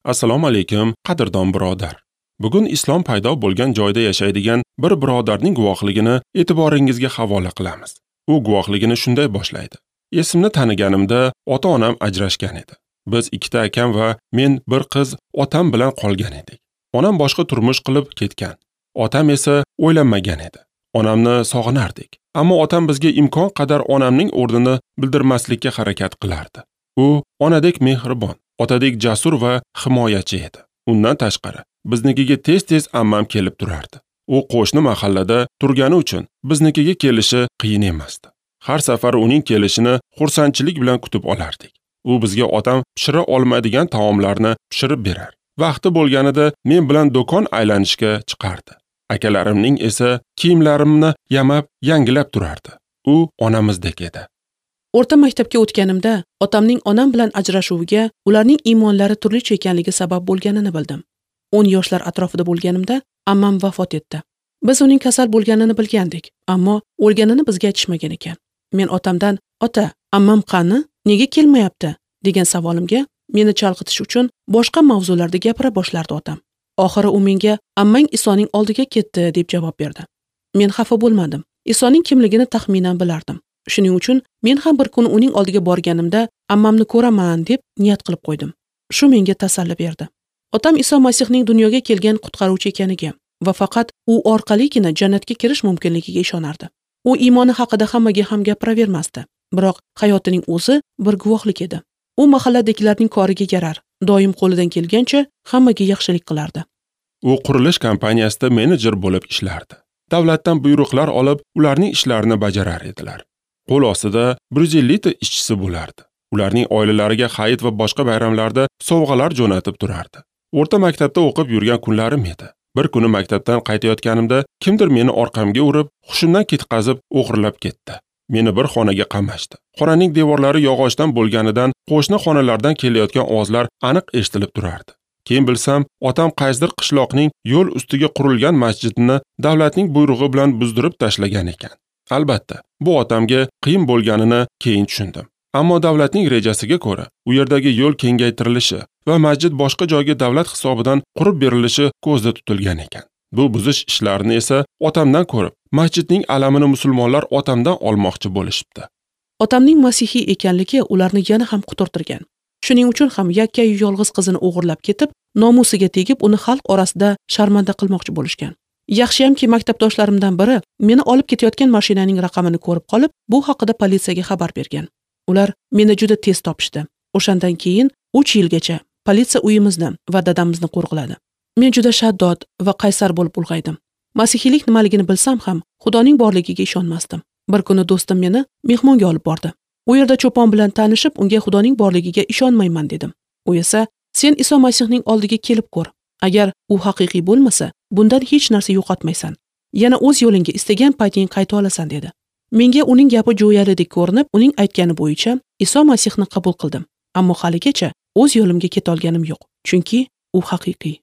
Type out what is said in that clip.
Assalomu alaykum, qadrdon birodar. Bugun islom paydo bo'lgan joyda yashaydigan bir birodarning guvohligini e'tiboringizga havola qilamiz. U guvohligini shunday boshlaydi. Esimni taniganimda ota-onam ajrashgan edi. Biz ikkita akam va men bir qiz otam bilan qolgan edik. Onam boshqa turmush qilib ketgan. Otam esa o'ylanmagan edi. Onamni sog'inardik. Ammo otam bizga imkon qadar onamning o'rnini bildirmaslikka harakat qilardi. U onadek mehribon, otadek jasur va himoyachi edi. Undan tashqari, biznikiga tez-tez ammam kelib turardi. U qo'shni mahallada turgani uchun biznikiga kelishi qiyin emasdi. Har safar uning kelishini xursandchilik bilan kutib olardik. U bizga otam pishira olmaydigan taomlarni pishirib berar. Vaqti bo'lganida men bilan do'kon aylanishga chiqardi. Akalarimning esa kiyimlarimni yamab, yangilab turardi. U onamizdek edi. O'rta maktabga o'tganimda otamning onam bilan ajrashuviga ularning iymonlari turlicha ekanligi sabab bo'lganini bildim. 10 yoshlar atrofida bo'lganimda ammam vafot etdi. Biz uning kasal bo'lganini bilgandik, ammo o'lganini bizga aytishmagan ekan. Men otamdan, "Ota, ammam qani? Nega kelmayapti?" degan savolimga meni chalg'itish uchun boshqa mavzularda gapira boshlardi otam. Oxiri u menga "Ammang Isoning oldiga ketdi" deb javob berdi. Men xafa bo'lmadim. Isoning kimligini taxminan bilardim. Shuning uchun men ham bir kun uning oldiga borganimda ammamni ko'raman deb niyat qilib qo'ydim. Shu menga tasalli berdi. Otam Iso Masihning dunyoga kelgan qutqaruvchi ekaniga va faqat u orqaligina jannatga kirish mumkinligiga ishonardi. U iymoni haqida hammaga ham gapiravermasdi, biroq hayotining o'zi bir guvohlik edi. U mahalladagilarning koriga yarar, doim qo'lidan kelgancha hammaga yaxshilik qilardi. U qurilish kompaniyasida menejer bo'lib ishlardi. Davlatdan buyruqlar olib, ularning ishlarini bajarar edilar. Qo'l ostida 150 ta ishchisi bo'lardi. Ularning oilalariga hayit va boshqa bayramlarda sovg'alar jo'natib turardi. O'rta maktabda o'qib yurgan kunlarim edi. Bir kuni maktabdan qaytayotganimda kimdir meni orqamga urib, hushimdan ketqazib o'g'irlab ketdi. Meni bir xonaga qamashdi. Xonaning devorlari yog'ochdan bo'lganidan qo'shni xonalardan kelayotgan ovozlar aniq eshitilib turardi. Keyin bilsam, otam qaysidir qishloqning yo'l ustiga qurilgan masjidni davlatning buyrug'i bilan buzdirib tashlagan ekan. Albatta, bu otamga qiyin bo'lganini keyin tushundim. Ammo davlatning rejasiga ko'ra, u yerdagi yo'l kengaytirilishi va masjid boshqa joyga davlat hisobidan qurib berilishi ko'zda tutilgan ekan. Bu buzish ishlarini esa otamdan ko'rib, masjidning alamini musulmonlar otamdan olmoqchi bo'lishibdi. Otamning masihiy ekanligi ularni yana ham quturtirgan. Shuning uchun ham yakkayu yolg'iz qizini o'g'irlab ketib, nomusiga tegib, uni xalq orasida sharmanda qilmoqchi bo'lishgan. Yaxshiyamki, maktabdoshlarimdan biri meni olib ketayotgan mashinaning raqamini ko'rib qolib, bu haqida politsiyaga xabar bergan. Ular meni juda tez topishdi. O'shandan keyin 3 yilgacha politsiya uyimizni va dadamizni qo'riqladi. Men juda shaddod va qaysar bo'lib ulg'aydim. Masihiylik nimaligini bilsam ham, Xudoning borligiga ishonmasdim. Bir kuni do'stim meni mehmonga olib bordi. U yerda cho'pon bilan tanishib, unga Xudoning borligiga ishonmayman dedim. U esa, "Sen Iso Masihning oldiga kelib ko'r. Agar u haqiqiy bo'lmasa, bundan hech narsa yo'qotmaysan. Yana o'z yo'lingga istagan payting qayta olasan" dedi. Menga uning gapi jo'yalidek ko'rinib, uning aytgani bo'yicha Iso Masihni qabul qildim. Ammo haligacha o'z yo'limga keta olganim yo'q, chunki u haqiqiy.